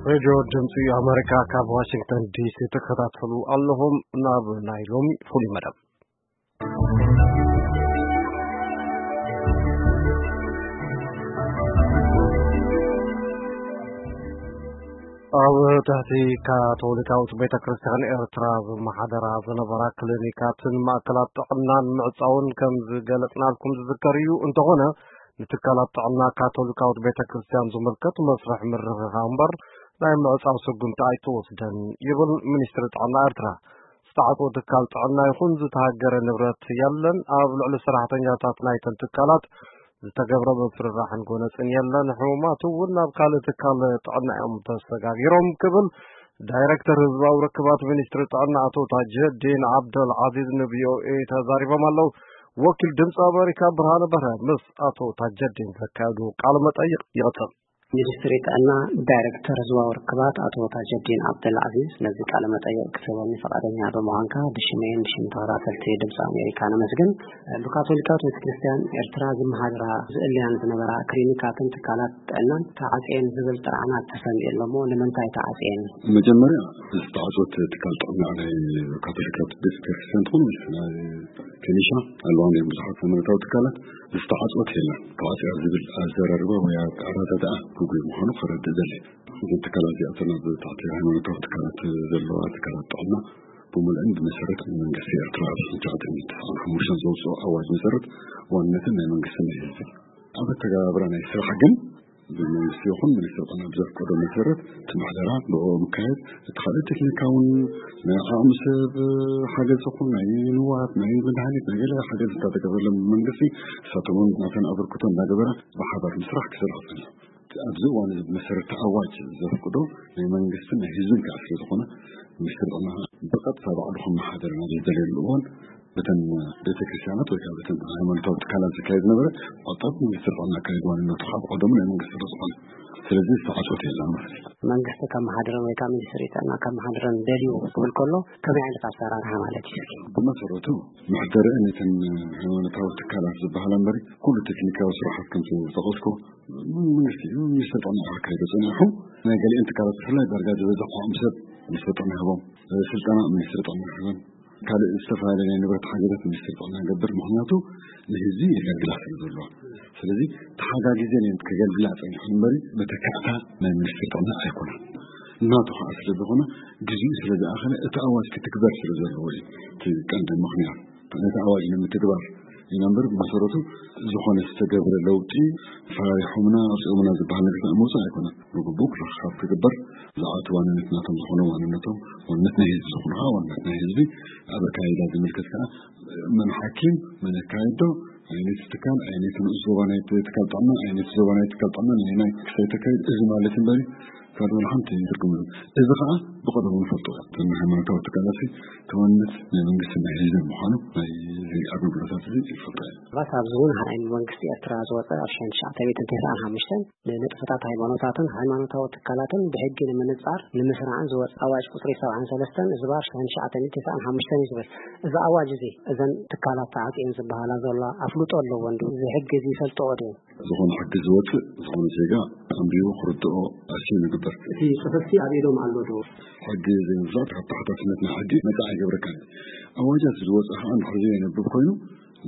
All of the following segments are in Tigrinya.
ሬድዮ ድምፂ ኣሜሪካ ካብ ዋሽንግተን ዲሲ ትከታተሉ ኣለኹም። ናብ ናይ ሎሚ ፍሉይ መደብ። ኣብ ትሕቲ ካቶሊካዊት ቤተ ክርስቲያን ኤርትራ ዝመሓደራ ዝነበራ ክሊኒካትን ማእከላት ጥዕናን ምዕጻውን ከም ዝገለጽናልኩም ዝዝከር እዩ። እንተኾነ፣ ንትካላት ጥዕና ካቶሊካዊት ቤተ ክርስቲያን ዝምልከት መስርሕ ምርኽኻብ እምበር ናይ ምዕጻው ስጉምቲ ኣይተወስደን ይብል ሚኒስትሪ ጥዕና ኤርትራ። ዝተዓጽወ ትካል ጥዕና ይኹን ዝተሃገረ ንብረት የለን። ኣብ ልዕሊ ሰራሕተኛታት ናይተን ትካላት ዝተገብረ ምፍርራሕን ጎነጽን የለን። ሕሙማት እውን ናብ ካልእ ትካል ጥዕና እዮም ተሰጋጊሮም ክብል ዳይሬክተር ህዝባዊ ርክባት ሚኒስትሪ ጥዕና ኣቶ ታጀዲን ዓብደል ዓዚዝ ን ቪ ኦ ኤ ተዛሪቦም ኣለዉ። ወኪል ድምፂ ኣሜሪካ ብርሃነ በርሀ ምስ ኣቶ ታጀዲን ዘካየዶ ቃለ መጠይቕ ይቕጽል። ሚኒስትሪ ጥዕና ዳይሬክተር ህዝባዊ ርክባት ኣቶ ታጀዲን ዓብደል ዓዚዝ ነዚ ቃለ መጠይቕ ክትህበኒ ፈቓደኛ ብምዃንካ ብሽመይን ብሽም ተኸታተልቲ ድምፂ ኣሜሪካ ነመስግን። ብካቶሊካዊት ቤተክርስትያን ኤርትራ ዝመሃድራ ዝእልያን ዝነበራ ክሊኒካትን ትካላት ጥዕናን ተዓጽየን ዝብል ጥርዓናት ተሰሚዑ ኣሎ እሞ ንምንታይ ተዓጽየን? መጀመርያ ዝተዓጽወት ትካል ጥዕና ናይ ካቶሊካት ቤተክርስትያን ትኹን ምስ ናይ ከኒሻ ኣለዋን እዮም ብዙሓት ሃይማኖታዊ ትካላት ዝተዓጽወት የለን። ተዓጽያ ዝብል ኣዘራርባ ወይ ኣረዳድኣ ግጉይ ምዃኑ ከረድእ ደሊ። እዘን ትካላት እዚኣተን ኣብ ትሕቲ ሃይማኖታዊ ትካላት ዘለዋ ትካላት ጥዕና ብምልእን ብመሰረት ናይ መንግስቲ ኤርትራ ኣብ ሽሕን ትሽዓተ ሚእትን ተስዓን ሓሙሽተን ዘውፅኦ ኣዋጅ መሰረት ዋንነትን ናይ መንግስትን ናይ ህዝቢ ኣብ ኣተገባብራ ናይ ስራሕ ግን ብመንግስቲ ይኹን ሚኒስትሪ ጥዕና ብዘፍቀዶ መሰረት እቲ ምሕደራ ብእኡ ምካየድ፣ እቲ ካልእ ቴክኒካውን ናይ ዓቕሚ ሰብ ሓገዝ ይኹን ናይ ንዋት ናይ መድሃኒት ናይ ገለ ሓገዝ እንተተገበረሎም መንግስቲ ንሳቶም እውን ናተን ኣበርክቶ እናገበራ ብሓባር ምስራሕ ክሰርሑ ጸኒሑ። ኣብዚ እዋን እዚ ብመሰረት ኣዋጅ ዘፍቅዶ ናይ መንግስትን ናይ ህዝብን ከዓ ስለ ዝኾነ ሚኒስትሪ ጥዕና ብቐጥታ ባዕሉ ከመሓደር ናብ ዝደልየሉ እዋን በተን ቤተክርስትያናት ወይ ከዓ በተን ሃይማኖታዊ ትካላት ዝካየድ ዝነበረ ቁጠብ ሚኒስትሪ ጥዕና ኣካይድ ዋንነቱ ካብ ቀደሙ ናይ መንግስቲ ስለ ዝኾነ ስለዚ ዝተዓፅወት የለን ማለት እዩ። መንግስቲ ከመሓድረን ወይ ከዓ ሚኒስትሪ ጥዕና ከመሓድረን ደልዩ ክብል ከሎ ከመይ ዓይነት ኣሰራርሓ ማለት እዩ? ብመሰረቱ መሕደሪ ነተን ሃይማኖታዊ ትካላት ዝበሃላ እምበሪ ኩሉ ቴክኒካዊ ስራሓት ከምቲ ዝጠቐስኩ መንግስቲ እዩ። ሚኒስትሪ ጥዕና ኣካይዶ ፀኒሑ ናይ ገሊአን ትካላት ብፍላይ ዳርጋ ዝበዝሕ ዓቕሚ ሰብ ሚኒስትሪ ጥዕና ይህቦም። ስልጠና ሚኒስትሪ ጥዕና ይህበን። ካልእ ዝተፈላለዩ ናይ ንብረት ሓገዛት ሚኒስትሪ ጥዕና ይገብር። ምክንያቱ ንህዝቢ የገልግላ ስለ ዘለዋ። ስለዚ ተሓጋጊዘን እየን ከገልግላ ፀኒሐን እምበሪ መተካእታ ናይ ሚኒስትሪ ጥዕና ኣይኮነን። ናቱ ከዓ ስለ ዝኾነ ግዜኡ ስለ ዝኣኸለ እቲ ኣዋጅ ክትግበር ስለ ዘለዎ እዩ። እቲ ቀንዲ ምክንያት ነቲ ኣዋጅ ንምትግባር ኢና እምበር ብመሰረቱ ዝኾነ ዝተገብረ ለውጢ ፈራሪሖምና ኣውፂኦምና ዝበሃል ነገር ምውፃእ ኣይኮነን። ብግቡእ ክርክኻብ ክግበር ዝዓቱ ዋንነት ናቶም ዝኾነ ዋንነቶም ዋንነት ናይ ህዝቢ ዝኾነ ከዓ ዋንነት ናይ ህዝቢ ኣብ ኣካይዳ ዝምልከት ከዓ መን ሓኪም መን ኣካይዶ ኣየነይቲ ትካል ኣየነይቲ ንኡስ ዞባ ናይ ትካል ጥዕና ኣየነይቲ ዞባ ናይ ትካል ጥዕና ናይ ናይ ክሳይ ተካይድ እዚ ማለት እምበሪ ካልእ ሓንቲ ትርጉም እዚ ከዓ ብቐደሙ ንፈልጦ እተን ሃይማኖታዊ ትካላት ተዋንነት ናይ መንግስቲ ናይ ህዝቢ ምዃኑ ናይ ኣገልግሎታት እዚ ይፈልጦ እየ። ባስ ኣብዚ እውን ናይ መንግስቲ ኤርትራ ዝወፀ ኣብ ሽሕን ትሽዓተ ሚእትን ተስዓን ሓሙሽተን ንንጥፈታት ሃይማኖታትን ሃይማኖታዊ ትካላትን ብሕጊ ንምንጻር ንምስራዕን ዝወፀ ኣዋጅ ቁፅሪ ሰብዓን ሰለስተን ዝባር ሽሕን ትሽዓተ ሚእትን ተስዓን ሓሙሽተን እዩ ዝብል። እዚ ኣዋጅ እዚ እዘን ትካላት ተዓፅየን ዝበሃላ ዘሎ ኣፍልጦ ኣለዎ እንዱ እዚ ሕጊ እዚ ይፈልጥዎ ድዩ? ዝኾነ ሕጊ ዝወፅእ ዝኾነ ዜጋ ኣንቢቡ ክርድኦ ኣስዩ ንግበር። እቲ ፅሑፍቲ ኣብ ኢዶም ኣሎ ዶ? ሕጊ ዘይምፍላጥ ካብ ተሓታትነት ናይ ሕጊ ነፃ ኣይገብረካን። ኣዋጃት ዝወፅእ ከዓ እንድሕር ዘየንብብ ኮይኑ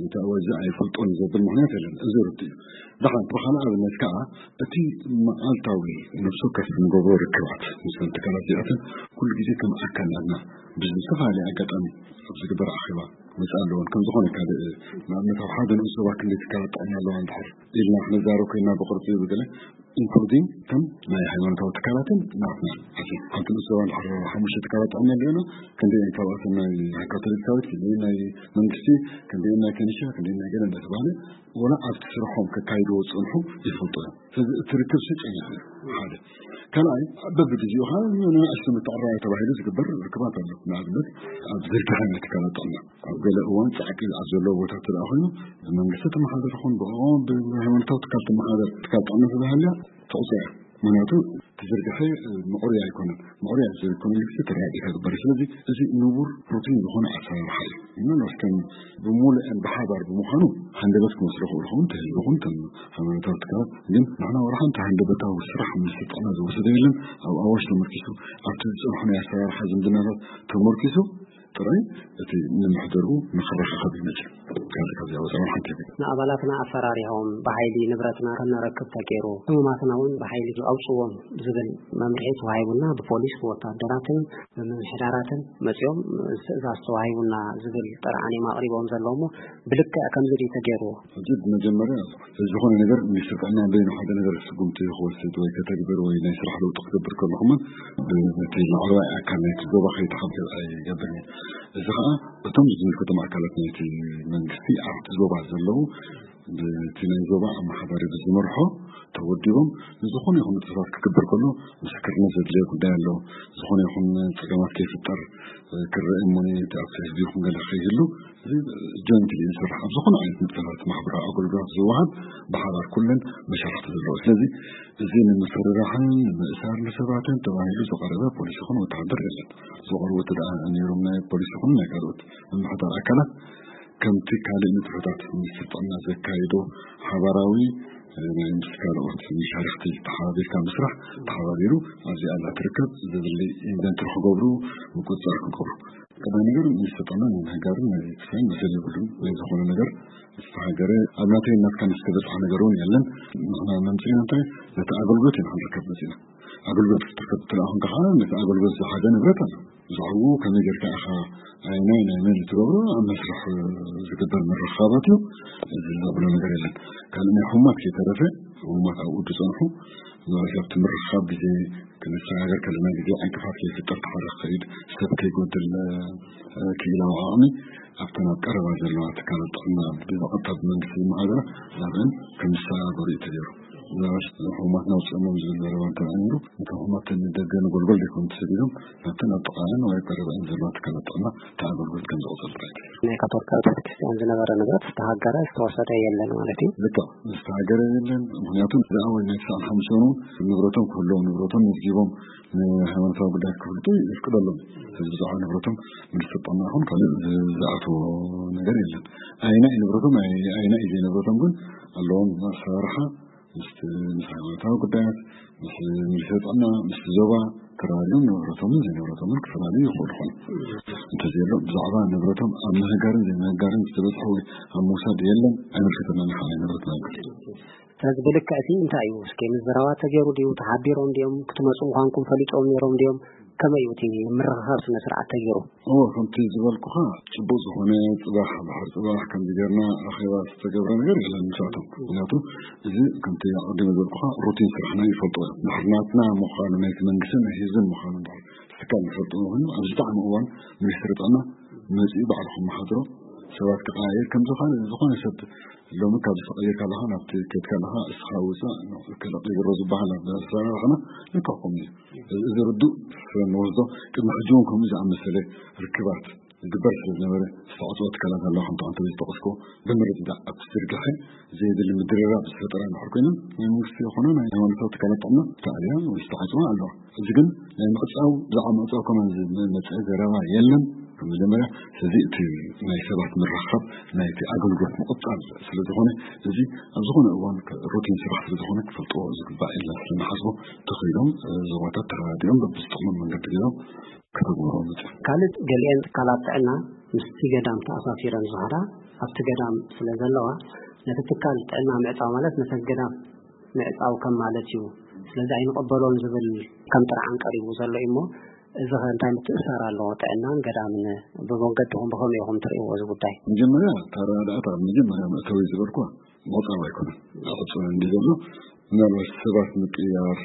ነቲ ኣዋጅ እዚ ኣይፈልጦን ዘብል ምክንያት የለን። እዚ ርድ እዩ። ደሓን ብካልእ ኣብነት ከዓ እቲ መዓልታዊ ነፍሲ ወከፍ ንገብሮ ርክባት ምስ ትካላት እዚኣተን ኩሉ ግዜ ከም ኣካል ናትና ብዝተፈላለየ ኣጋጣሚ ኣብ ዝግበር ኣኼባ መፅእ ኣለዎን ከም ዝኾነ ካልእ ንኣብነት ኣብ ሓደ ንኡስ ዞባ ክንደይ ትካላት ጥዕና ኣለዋ እንድሕር ኢልና ክንዛረብ ኮይና ብቅርፂ ብገለ ኢንክሉዲንግ ከም ናይ ሃይማኖታዊ ትካላትን ናትና ሓንቲ ንኡስ ዞባ እንድሕር ሓሙሽተ ትካላት ጥዕና ኣለና ክንደይ ካብኣተን ናይ ካቶሊካዊት ክንደይ ናይ መንግስቲ ክንደይ ናይ ከኒሻ ክንደይ ናይ ገለ እንዳተባሃለ ወላ ኣብቲ ስርሖም ከካይድዎ ዝፀንሑ ይፈልጡ እዮም። ስለዚ እቲ ርክብ ሲ ፀኒሑ እዩ ሓደ ካልኣይ በብግዜኡ ከዓ ንኣሽቱ ምትዕራይ ተባሂሉ ዝግበር ርክባት ኣሎ። ንኣብነት ኣብ ዝርግሐ ናይ ትካላት ጥዕና ኣብ ገለ እዋን ፃዕቂ ኣብ ዘለዎ ቦታ ትደኣ ኮይኑ ብመንግስቲ ተመሓደር ይኹን ብኦም ብሃይማኖታዊ ትካል ተመሓደር ትካል ጥዕና ተባሃልያ ተቑፅያ ምክንያቱ እቲ ዝርግሐ ምዕሩይ ኣይኮነን። ምዕሩይ ኣብ ዘይኮነ ልክዕ ተረጋጊእካ ግበር። ስለዚ እዚ ንቡር ሩቲን ዝኾነ ኣሰራርሓ እዩ። ምናልባት ከም ብምሉእን ብሓባር ብምዃኑ ሃንደበት ክመስሉ ይኽእሉ ይኸውን፣ እቲ ህዝቢ ይኹን እተን ሃይማኖታዊ ትካላት። ግን ንሕና ዋላ ሓንቲ ሃንደበታዊ ስራሕ ምስ ጥዕና ዝወሰደ የለን። ኣብ ኣዋጅ ተመርኪሱ፣ ኣብቲ ዝጸንሑ ናይ ኣሰራርሓ ዝምድናታት ተመርኪሱ ጥራይ እቲ ንምሕደርኡ ንኽረኻኸብ ይመጽእ። ካብዚ ካብዚ ኣወፃ ሓንቲ ንኣባላትና ኣፈራሪሆም ብሓይሊ ንብረትና ከነረክብ ተገይሩ፣ ህሙማትና እውን ብሓይሊ ኣውፅዎም ዝብል መምርሒ ተዋሂቡና፣ ብፖሊስ ብወታደራትን ብምምሕዳራትን መፂኦም ትእዛዝ ተዋሂቡና ዝብል ጥርዓን እዮም ኣቕሪቦም ዘለዉ እሞ፣ ብልክዕ ከምዚ ድዩ ተገይርዎ? ሕጂ ብመጀመርያ ዝኾነ ነገር ሚኒስትር ጥዕና በይኑ ሓደ ነገር ስጉምቲ ክወስድ ወይ ከተግብር ወይ ናይ ስራሕ ለውጢ ክገብር ከለኹምን ብቲ ላዕለዋይ ኣካል ናይቲ ዞባ ከይተሓብር ኣይገብርን እዩ። እዚ ከዓ እቶም ዝምልከቶም ኣካላት ናይቲ መንግስቲ ኣብቲ ዞባ ዘለዉ ብቲ ናይ ዞባ ኣመሓዳሪ ብዝመርሖ ተወዲቦም ንዝኾነ ይኹን ንጥፈታት ክግበር ከሎ ምስክርነት ዘድልዮ ጉዳይ ኣሎ። ዝኾነ ይኹን ፀገማት ከይፍጠር ክረአ እሞ እቲ ኣብቲ ህዝቢ ይኹን ገለ ከይህሉ እዚ ጆይንትሊ ዝስራሕ ኣብ ዝኾነ ዓይነት ንጥፈታት ማሕበራዊ ኣገልግሎት ዝወሃብ ብሓባር ኩለን መሻርክቲ ዘለዎ። ስለዚ እዚ ንምፍርራሕን ንምእሳር ንሰባትን ተባሂሉ ዝቐረበ ፖሊስ ይኹን ወተሃደር የለን። ዝቐርቡ እቲ ደኣ ነይሮም ናይ ፖሊስ ይኹን ናይ ካልኦት ምምሕዳር ኣካላት ከምቲ ካልእ ንጥፈታት ሚኒስትር ጥዕና ዘካይዶ ሓባራዊ ናይ ምስ ካልኦት መሻርክቲ ተሓባቢርካ ምስራሕ ተሓባቢሩ ኣብዚ ኣላ ትርከብ ዝብል ኢንቨንተሪ ክገብሩ ምቁፅፃር ክገብሩ ቀዳሚ ነገር ሚኒስትር ጥዕና ናይ ምህጋርን ናይ ክሳይን መሰል የብሉን። ናይ ዝኾነ ነገር ዝተሃገረ ኣብ ናተይ ናትካን ዝተበፅሐ ነገር እውን የለን። ንሕና መምፅእና እንታይ ነቲ ኣገልግሎት ኢና ክንርከብ መፅእና። ኣገልግሎት ክትርከብ ትለኣኹን ከዓ ነቲ ኣገልግሎት ዝሓዘ ንብረት ኣሎ። ብዛዕባኡ ከመይ ጌርካ ኢኻ ኣየናይ ናይ መን ትገብሮ ኣብ መስርሕ ዝግበር ምርኻባት እዩ። እዚ ዘብሎ ነገር የለን። ካልእ ናይ ሕሙማት ከይተረፈ ሕሙማት ኣብኡ ዝፀንሑ ማለት ኣብቲ ምርኻብ ግዜ ክንሰጋገር ከለና ግዜ ዕንቅፋት ከይፍጠር ተሓረ ክኸይድ ሰብ ከይጎድል ክኢላዊ ዓቕሚ ኣብተን ኣብ ቀረባ ዘለዋ ትካላት ጥዕና ብቐጥታ ብመንግስቲ ዝመሓደራ ናብአን ከም ዝሰጋገሩ እዩ ተገይሩ። ምናልባት ሕሙማትና ውፅኦሞም ዝብል ዘረባ እንተነይሩ እቶም ሕሙማት ንደገ ንጎልጎል ዘይኮኑ ተሰዲዶም ናብተን ኣብ ጥቓኣን ወይ ቀረባአን ዘለዋ ትካላት ጥዕና እቲ ኣገልግሎት ከም ዝቕፅል ጥራይ እዩ። ናይ ካቶሊካዊት ቤተክርስትያን ዝነበረ ንብረት ዝተሃገረ ዝተወሰደ የለን ማለት እዩ። ልክዕ ዝተሃገረ የለን። ምክንያቱ እዛ ወይ ናይ ትስዓን ሓሙሽተን እውን ንብረቶም ክህልዎም ንብረቶም መዝጊቦም ንሃይማኖታዊ ጉዳይ ክፍልጡ ይፍቅደሎም። ስለዚ ብዛዕባ ንብረቶም ምንስጠና ይኹን ካልእ ዝኣተዎ ነገር የለን። ኣይና እዩ ንብረቶም ኣይና እዩ ዘይንብረቶም ግን ኣለዎም ኣሰራርሓ ምስ ምስ ሃይማኖታዊ ጉዳያት ምስ ሚኒስትሪ ጥዕና ምስ ዞባ ተራዲኦም ንብረቶምን ዘይንብረቶምን ክፈላለዩ ይኽእሉ ኾኑ እንተዘየሎ ብዛዕባ ንብረቶም ኣብ ምህጋርን ዘይምህጋርን ዝተበፅሐ ወይ ኣብ ምውሳድ የለን ኣይምልከተና ንሓ ናይ ንብረት ናብል ስለዚ ብልክዕ እቲ እንታይ እዩ እስኪ ምዝራባት ተገይሩ ድዩ ተሓቢሮም ድዮም ክትመፁ ምዃንኩም ፈሊጦም ነይሮም ድዮም ከመይ እዩ እቲ ምርኽኻብ ስነ ስርዓት ተገይሩ እዎ ከምቲ ዝበልኩኻ ፅቡቅ ዝኾነ ፅባሕ ድሕር ፅባሕ ከምዚ ጌርና ኣኼባ ዝተገብረ ነገር የለን ምሳቶም ምክንያቱ እዚ ከምቲ ኣቀዲመ ዝበልኩኻ ሩቲን ስራሕና ይፈልጥዎ እዮም ድሕር ናትና ምዃኑ ናይቲ መንግስትን ናይ ህዝብን ምዃኑ ድሕር ትካል ይፈልጥዎ ኮይኑ ኣብዚ ጣዕሚ እዋን ሚኒስትሪ ጥዕና መፂኡ ባዕሉ ከመሓድሮ ሰባት ክቀያየር ከምዚ ካልእ ዝኾነ ሰብ ሎሚ ካብ ዝተቐየርካ ኣለኻ ናብቲ ከድካ ኣለኻ እስኻ ውፃእ ንዑ ከለቕ ይግሮ ዝበሃል ኣብ ኣሰራርሕና ልክዕ ከምኡ እዩ። እዚ ርዱእ ስለ ንወስዶ ቅድሚ ሕጂ እውን ከምኡ ዝኣመሰለ ርክባት ዝግበር ስለ ዝነበረ ዝተዓፅወ ትካላት ኣለዋ ከምቲ ኣንተ ዝተጠቐስኮ ብምርድ ዳ ኣብቲ ዝርግሐ ዘየድሊ ምድርራብ ዝፈጠራ እንድሕር ኮይነን ናይ መንግስቲ ዝኾነ ናይ ሃይማኖታዊ ትካላት ጥዕና ተኣልያ ወይ ዝተዓፅዋ ኣለዋ። እዚ ግን ናይ ምዕፃው ብዛዕባ ምዕፃው ከማን ዝመፀ ዘረባ የለን። መጀመርያ ስለዚ እቲ ናይ ሰባት ምርኻብ ናይቲ ኣገልግሎት ምቕፃል ስለዝኾነ እዚ ኣብ ዝኾነ እዋን ሩቲን ስራሕ ስለዝኾነ ክፈልጥዎ ዝግባእ ኢልና ስለንሓስቦ ተኸይሎም ዞባታት ተረዳዲኦም በብዝጠቕሞም መንገዲ ገይሮም ከተግብርዎ መፅኦም። ካልእ ገሊኤን ትካላት ጥዕና ምስቲ ገዳም ተኣሳሲረን ዝኸዳ ኣብቲ ገዳም ስለ ዘለዋ ነቲ ትካል ጥዕና ምዕፃው ማለት ነቲ ገዳም ምዕፃው ከም ማለት እዩ ስለዚ ኣይንቐበሎን ዝብል ከም ጥርዓን ቀሪቡ ዘሎ እዩ እሞ እዚ ኸ እንታይ ምትእስሳር ኣለዎ ጥዕናን ገዳምን ብመንገድኹም ብኸመይ ኢኹም ትርእይዎ እዚ ጉዳይ? መጀመርያ እታ ረዳእታ ኣብ መጀመርያ መእተዊ ዝበልኳ ምዕፃው ኣይኮነን ኣዕፅወን እንዲ ዘሎ ምናልባት ሰባት ምቅያር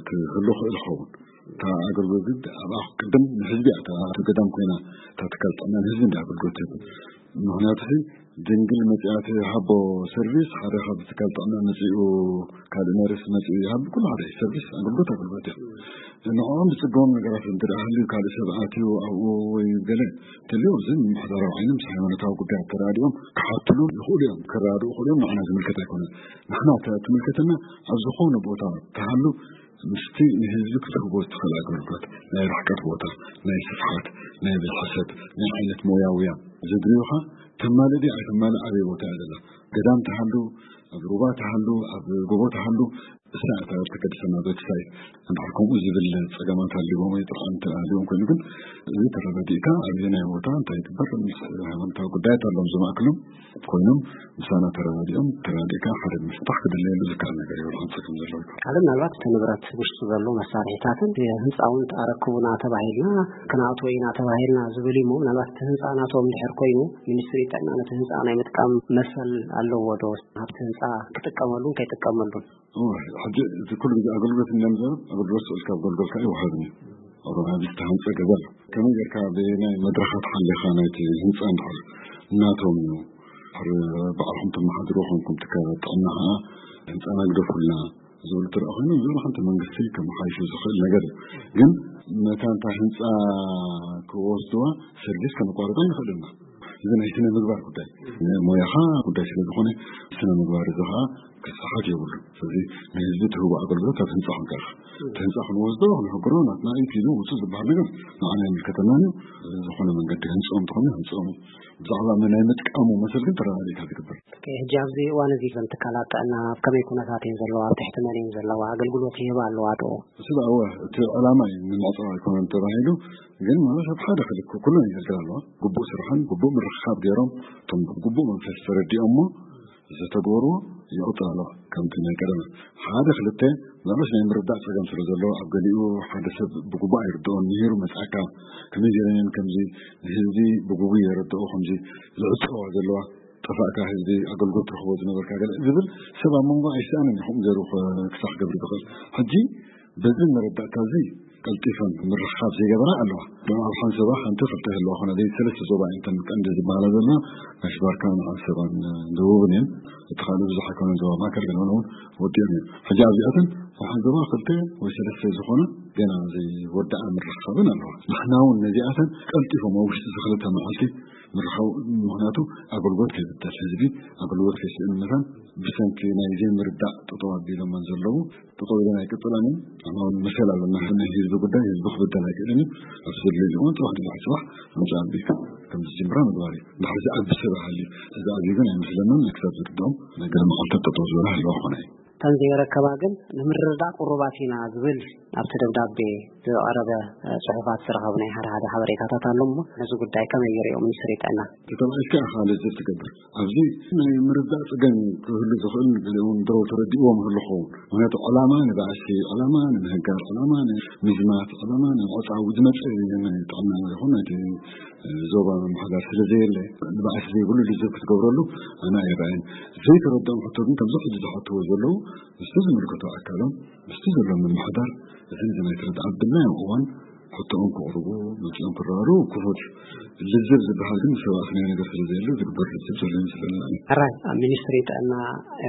ክህሉ ክእል ይኸውን እታ ኣገልግሎት ግን ኣብኣ ቅድም ንህዝቢ እያ እታ ገዳም ኮይና እታ ትካል ጥዕና ንህዝቢ እንዲ ኣገልግሎት ትህብ ምክንያቱ ድንግል መጺኣ ትሃቦ ሰርቪስ፣ ሓደ ካብ ትካል ጥዕና መጺኡ ካልእ ነርስ መጺኡ ይሃብ፣ ኩሉ ሓደ ሰርቪስ፣ ኣገልግሎት ኣገልግሎት እዩ። ንዕኦም ዝጽገሞም ነገራት እንተ ደኣ ሃልዩ፣ ካልእ ሰብ ኣትዩ ኣብኡ ወይ ገለ እንተልዩ፣ እዚ ምምሕዳራዊ ዓይኒ ምስ ሃይማኖታዊ ጉዳያት ተራዲኦም ክሓትሉ ይኽእሉ እዮም። ክራድኡ ይኽእሉ እዮም። ንዓና ዝምልከት ኣይኮነን። ንሕና እታ ትምልከተና ኣብ ዝኾነ ቦታ ተሃሉ ምስቲ ንህዝቢ ክትህቦ እትኽእል ኣገልግሎት፣ ናይ ርሕቀት ቦታ፣ ናይ ስፍሓት፣ ናይ ብዝሒ ሰብ፣ ናይ ዓይነት ሞያውያን ዘድልዩኻ ተማልእ ድዩ ኣይተማልእ ኣበይ ቦታ እያ ዘላ? ገዳም ትሃሉ፣ ኣብ ሩባ ትሃሉ፣ ኣብ ጎቦ ትሃሉ፣ እሳ እታ እተገድሰና ቤት ሳይት። እንድሕር ከምኡ ዝብል ጸገማት ኣልዎም ወይ ጥርዓን ኣልዎም ኮይኑ ግን፣ እዚ ተረዳዲእካ ኣበየናይ ቦታ እንታይ ይግበር ምስ ሃይማኖታዊ ጉዳያት ኣለዎም ዝማእክሎም ኮይኖም ምሳና ተረዳዲኦም፣ ተረዳዲእካ ሓደ ምፍታሕ ክድለየሉ ዝከኣል ነገር እዩ። ብርሃን ጸገም ዘለዎ ይኮን። ካልእ ምናልባት እቲ ንብረት ውሽጡ ዘሎ መሳርሒታትን ህንፃውን ኣረክቡና ተባሂልና ክነኣትዎ ኢና ተባሂልና ዝብል እዩ። ምናልባት እቲ ህንፃ ናቶም ድሕር ኮይኑ ሚኒስትሪ ጥዕና ነቲ ህንፃ ናይ ምጥቃም መሰል ኣለዎ ዶ? ኣብቲ ህንፃ ክጥቀመሉን ከይጥቀመሉን? እወ፣ ሕጂ እቲ ኩሉ ግዜ ኣገልግሎት እንዲና ንዛረብ፣ ኣገልግሎት ስቕ ኢልካ ኣብ ጎልጎልካ ኣይወሃብን እዩ። ኣብ ዓቢ ዝተሃንጸ ገዛ ኣሎ። ከመይ ጌርካ በየናይ መድረኻት ሓሊኻ ናይቲ ህንጻ እንድሕር ናቶም እዩ፣ ድሕር ባዕልኹም ተመሓድርዎ ኮንኩም ትካላት ጥዕና ኸዓ ህንጻና ግደፉልና ዝብሉ ትረኣ ኮይኖም፣ እዚ ሓንቲ መንግስቲ ከመሓይሹ ዝኽእል ነገር እዩ። ግን ነታ እንታ ህንጻ ክወስድዋ ሰርቪስ ከነቋርጣ ንኽእል ኢና። እዚ ናይ ስነ ምግባር ጉዳይ፣ ናይ ሞያኻ ጉዳይ ስለ ዝኾነ፣ ስነ ምግባር እዚ ኸዓ ክስሓት የብሉን። ስለዚ ንህዝቢ ትህቦ ኣገልግሎት ኣብ ህንጻ ክንቀርብ፣ እቲ ህንጻ ክንወስዶ፣ ክንሕግሮ፣ ናትና እዩ፣ ኪዱ ውጹ ዝበሃል ነገር ንዓና ኣይምልከተናን እዩ። ዝኾነ መንገዲ ህንጽኦም እንተኾነ ህንጽኦም እዩ። ብዛዕባ መን ናይ ምጥቃሙ መሰል ግን ተረጋጊእካ ዝግበር። ኦኬ፣ ሕጂ ኣብዚ እዋን እዚ እዘን ትካላት ጥዕና ኣብ ከመይ ኩነታት እየን ዘለዋ? ኣብ ትሕቲ መን እየን ዘለዋ? ኣገልግሎት ይህባ ኣለዋ ዶ? እሱ ደኣ እወ፣ እቲ ዕላማ እዩ ንምዕጻው ኣይኮነን ተባሂሉ፣ ግን ማለት ኣብ ሓደ ክልክ ኩለን የገልግላ ኣለዋ። ግቡእ ስራሕን ግቡእ ምርኽኻብ ገይሮም፣ እቶም ብግቡእ መንፈስ ተረዲኦሞ ዝተግበርዎ ይቕጽል ኣለዋ። ከምቲ ናይ ቀደመ ሓደ ክልተ ምናልባት ናይ ምርዳእ ጸገም ስለ ዘሎ፣ ኣብ ገሊኡ ሓደ ሰብ ብግቡእ ኣይርድኦን፣ ምሂሩ መጻእካ፣ ከመይ ገይረን ከምዚ ንህዝቢ ብግቡእ የረድኦ፣ ከምዚ ዝዕጸዋ ዘለዋ፣ ጠፋእካ ህዝቢ ኣገልግሎት ትረኽቦ ዝነበርካ ገለ ዝብል ሰብ ኣብ መንጎ ኣይሰኣንን እዩ፣ ከምኡ ገይሩ ክሳዕ ክገብር ዝኽእል። ሕጂ በዚ መረዳእታ እዚ ቀልጢፈን ምርኽኻብ ዘይገበራ ኣለዋ። ደማ ኣብ ሓንሰባ ሓንቲ ክልተ ይህልዋ ኾነ፣ ዘይ ሰለስተ ዞባ እየን እተን ቀንዲ ዝበሃላ ዘለዋ፣ ጋሽ ባርካን ዓንሰባን ደቡብን እየን። እቲ ካልእ ብዙሕ ኣይኮነን፣ ዞባ ማእከል ገለ እውን ወዲኦም እዮም። ሕጂ ኣብዚኣተን ኣብ ሓንሰባ ክልተ ወይ ሰለስተ ዝኾነ ገና ዘይወደኣ ምርኽኻብን ኣለዋ። ንሕና እውን ነዚኣተን ቀልጢፎም ኣብ ውሽጢ እዚ ክልተ መዓልቲ ምርኻብ፣ ምኽንያቱ ኣገልግሎት ከይብደል፣ ህዝቢ ኣገልግሎት ከይስእን መታን ብሰንኪ ናይ ዘይምርዳእ ጠጠው ኣቢሎመን ዘለዉ፣ ጠጠው ኢለን ኣይቅጽላን እየን። ንሕና እውን መሰል ኣለና። ናይ ህዝቢ ጉዳይ ህዝቢ ክብደል ኣይክእልን እዩ። ኣብዚ ዘድልዮ ዝኸውን ጽባሕ ንድሕሪ ጽባሕ ምምጻእ ኣቢልካ ከም ዝጅምራ ምግባር እዩ። እንድሕር ዝኣቢ ሰብ ሃልዩ፣ እዚ ኣብዩ ግን ኣይመስለንን። ክሳብ ዝርድኦም ናይ ገለ መዓልታት ጠጠው ዝበላ ህልዋ ክኾና እዩ። እተን ዘይረከባ ግን ንምርድዳእ ቅሩባት ኢና ዝብል ኣብቲ ደብዳቤ ዝቐረበ፣ እ፣ ጽሑፋት ዝረኸብናዮ ሓደ ሓደ ሓበሬታታት ኣሎ እሞ ነዚ ጉዳይ ከመይ ይርእዮ ሚኒስትሪ ጥዕና? እቲ ተባዒትካ ኢኻ ልዝብ ትገብር። ኣብዚ ናይ ምርዳእ ጸገም ክህሉ ዝኽእል ገሊኦም ድሮ ተረዲእዎም ይህሉ ክኸውን። ምኽንያቱ ዕላማ ንባእሲ፣ ዕላማ ንምህጋር፣ ዕላማ ንምዝማት፣ ዕላማ ንምዕጻው ዝመጸ ናይ ጥዕና ይኹን ናይቲ ዞባ ምምሕዳር ስለ ዘየለ፣ ንባእሲ ዘይብሉ ልዝብ ክትገብረሉ ኣነ ኣይረኣይን። ዘይተረድኦም ሕቶ ግን ከምዚ ሕጂ ዝሓትዎ ዘለዉ ምስቲ ዝምልከቶ ኣካሎም፣ ምስቲ ዘሎ ምምሕዳር፣ እዚ ነዚ ናይ ተረድኣ ኣብ ድላዮም እዋን ሕቶኦም ከቕርቡ፣ መጺኦም ክረዳድኡ ክፉት እዩ። ልዝብ ዝበሃል ግን ምስ ሰባእቲ ናይ ነገር ስለ ዘየለ ዝግበር ልዝብ ዘሎ ይመስለኒ። ሕራይ፣ ኣብ ሚኒስትሪ ጥዕና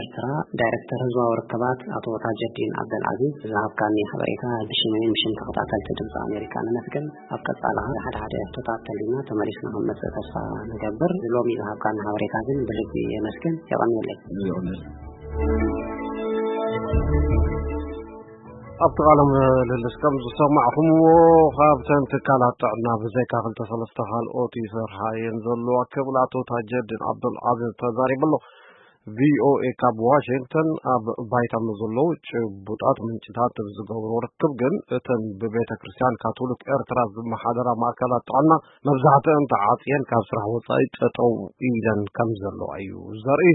ኤርትራ ዳይሬክተር ህዝባዊ ርክባት ኣቶ ታጀዲን ዓብደልዓዚዝ ዝሃብካኒ ሓበሬታ ብሽመይን ብሽም ተኸታተልቲ ድምፂ ኣሜሪካ ነመስግን። ኣብ ቀጻሊ ሓደ ሓደ ሕቶታት ተሊና ተመሊስና ክንመጽእ ተስፋ ንገብር። ሎሚ ዝሃብካኒ ሓበሬታ ግን ብልቢ የመስግን። የቐንየለይ። ይቕንል። ኣብቲ ቃለ ምልልስ ከም ዝሰማዕኹምዎ፣ ካብተን ትካላት ጥዕና ብዘይካ ክልተ ሰለስተ ካልኦት ይሰርሓ እየን ዘለዋ ክብል ኣቶ ታጀዲን ዓብዱልዓዚዝ ተዛሪቡ ኣሎ። ቪኦኤ ካብ ዋሽንግተን ኣብ ባይታ ምስ ዘለዉ ጭቡጣት ምንጭታት ብዝገብሮ ርክብ ግን፣ እተን ብቤተ ክርስቲያን ካቶሊክ ኤርትራ ዝመሓደራ ማእከላት ጥዕና መብዛሕትአን ተዓጽየን ካብ ስራሕ ወጻኢ ጠጠው ኢለን ከም ዘለዋ እዩ ዘርኢ።